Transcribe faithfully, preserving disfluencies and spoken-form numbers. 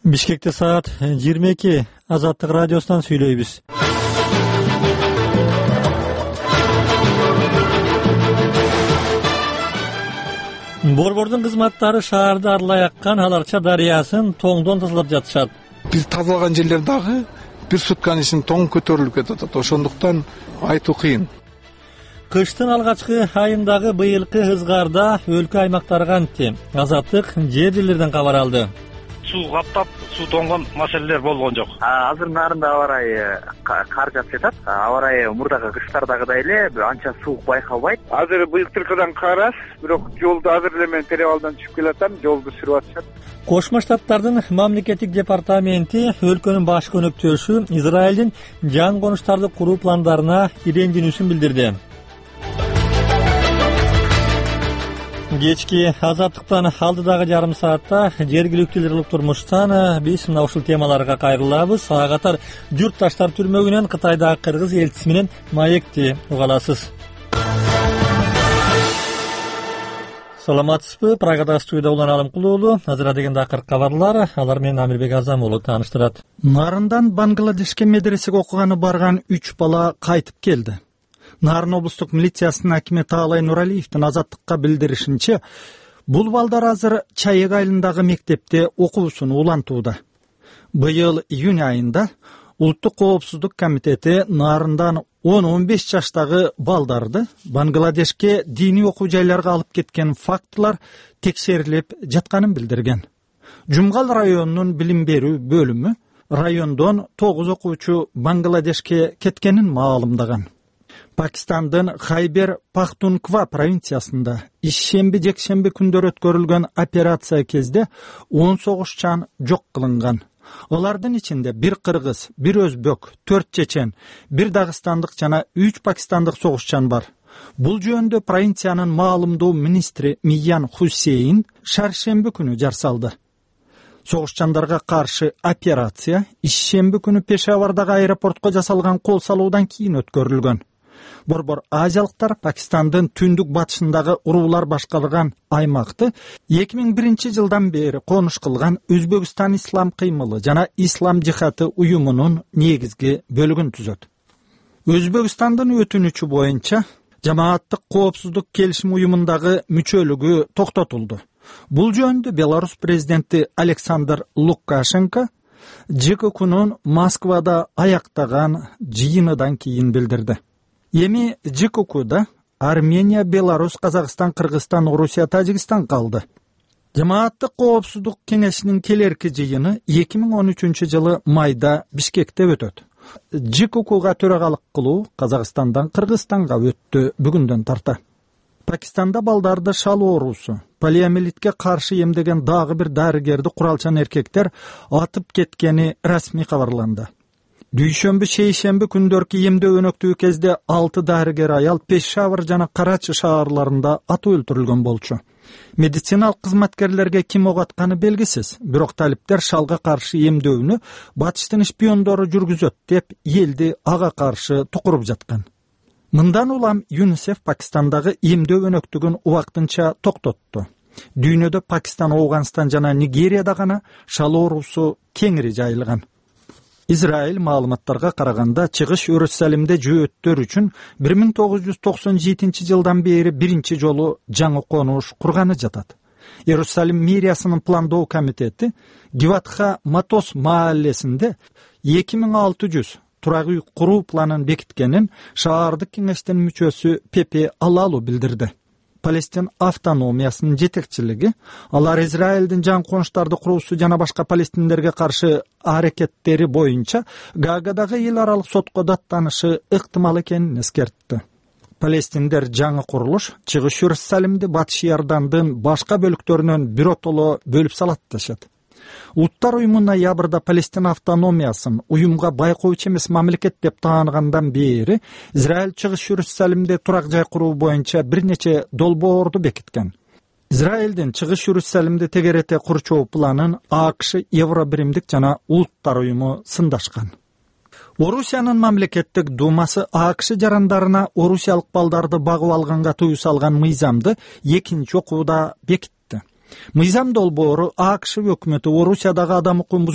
Бишкекте саат жыйырма эки. Азаттык радиосунан сүйлөйбүз. Борбордун кызматтары шаарды арылай аккан Аларча дарыясын тоңдон тазалап жатышат. Биз тазалаган жерлер дагы бир сутканын ичинде тоң көтөрүлүп кетип атат. Ошондуктан айтуу кыйын. Кыштын алгачкы айындагы быйылкы ызгаарда өлкө аймактары кантти? Азаттык жер жерлерден кабар алды. Суу каптап, суу тоңгон маселелер болгон жок. Азыр нарында аба ырайы кар жаап жатат. Аба ырайы мурдагы кыштардагыдай эле анча суук байкалбайт. Азыр быйылтыркыдан кар аз, бирок жолду азыр эле мен перевалдан түшүп келатам, жолду сүрүп атышат. Кошмо Штаттардын мамлекеттик департаменти өлкөнүн башкы өнөктөшү Израилдин жаңы конуштарды куруу пландарына ирендинүүсүн билдирди. Кечки азаттыктан алдыдагы жарым саатта жергиликтүүлөр кылып турмуштан биз мына ушул темаларга кайрылабыз. Ага катар журтташтар түрмөгүнөн Кытайдагы кыргыз элчиси менен маекти уга аласыз. Саламатсызбы? Прагадагы студияда Улан Алымкулуулу. Азыр деген дакыр кабарлар, алар менен Амирбек Азам уулу тааныштырат. Нарындан Бангладешке медресеге окуганы барган үч бала кайтып келди. Нарын облустук милициясынын акими Таалай Нуралиевдин Азаттыкка билдиришинче, бул балдар азыр Чаек айылындагы мектепте окуусун улантууда. Быйыл июнь айында Улуттук коопсуздук комитети Нарындан он он беш жаштагы балдарды Бангладешке диний окуу жайларга алып кеткен фактылар текшерилип жатканын билдирген. Жумгал районунун билим берүү бөлүмү райондон тогуз окуучу Бангладешке кеткенин маалымдаган. Пакистандын Хайбер Пахтунква провинциясында ишемби-жекшемби күндөр өткөрүлгөн операция кезде он согушчан жок кылынган. Алардын ичинде бир кыргыз, бир өзбек, төрт чечен, бир дагыстандык жана үч пакистандык согушчан бар. Бул жөнүндө провинциянын маалымдоо министри Миян Хусейн шаршемби күнү жар салды. Согушчандарга каршы операция ишемби күнү Пешавардагы аэропортко жасалган кол салуудан кийин өткөрүлгөн. Борбор азиялыктар Пакистандын түндүк батышындагы уруулар башкарылган аймакты эки миң биринчи жылдан бери конуш кылган Өзбекстан ислам кыймылы жана ислам жихаты уюмунун негизги бөлүгүн түзөт. Өзбекстандын өтүнүчү боюнча жамааттык коопсуздук келишим уюмундагы мүчөлүгү токтотулду. Бул жөнүндө Беларусь президенти Александр Лукашенко ЖККнун Москвада аяктаган жыйыныдан кийин билдирди. Эми ЖККда Армения, Беларусь, Казакстан, Кыргызстан, Орусия, Тажикстан калды. Жамааттык коопсуздук кеңешинин келерки жыйыны эки миң он үчүнчү жылы майда Бишкекте өтөт. ЖККга төрагалык кылуу Казакстандан Кыргызстанга өттү бүгүндөн тарта. Пакистанда балдарды шал оорусу, полиомиелитке каршы эмдеген дагы бир дарыгерди куралчан эркектер атып кеткени расмий кабарланды. Дүйшөмбү, шейшемби күндөркү эмдөө өнөктүү кезде алты дарыгер аял Пешавар жана Карачы шаарларында атып өлтүрүлгөн болчу. Медициналык кызматкерлерге ким ок атканы белгисиз, бирок талиптер шалга каршы эмдөөнү батыштын шпиондору жүргүзөт деп элди ага каршы тукуруп жаткан. Мындан улам ЮНИСЕФ Пакистандагы эмдөө өнөктүгүн убактынча токтотту. Дүйнөдө Пакистан, Афганистан жана Нигерияда гана шал оорусу кеңири жайылган. Израиль маалыматтарга караганда Чыгыш Иерусалимде жөөттөр үчүн бир миң тогуз жүз токсон жетинчи жылдан бери биринчи жолу жаңы конуш курганы жатат. Иерусалим мэриясынын пландоо комитети Гиватха Матос мааллесинде эки миң алты жүз турак үй куруу планын бекиткенин шаардык кеңештин мүчөсү Пепе Алалу билдирди. Палестин автономиясынын жетекчилиги алар Израилдин жаңы конуштарды куруусу жана башка палестиндерге каршы аракеттери боюнча Гаагадагы эл аралык сотко даттанышы ыктымал экенин эскертти. Палестиндер жаңы курулуш Чыгыш Иерусалимди Батыш Иордандын башка бөлүктөрүнөн биротоло бөлүп салат дешет. Улуттар уюму ноябрда Палестин автономиясын уюмга байкоочу эмес мамлекет деп тааныгандан бери Израиль Чыгыш Иерусалимде турак жай куруу боюнча бир нече долбоорду бекиткен. Израилдин Чыгыш Иерусалимди тегерете курчоо планын АКШ, Евробиримдик жана Улуттар уюму сындашкан. Орусиянын мамлекеттик думасы АКШ жарандарына орусиялык балдарды багып алганга тыюу салган мыйзамды экинчи окууда бекитти. Мыйзам долбоору АКШ өкмөтү Орусиядагы адам укугун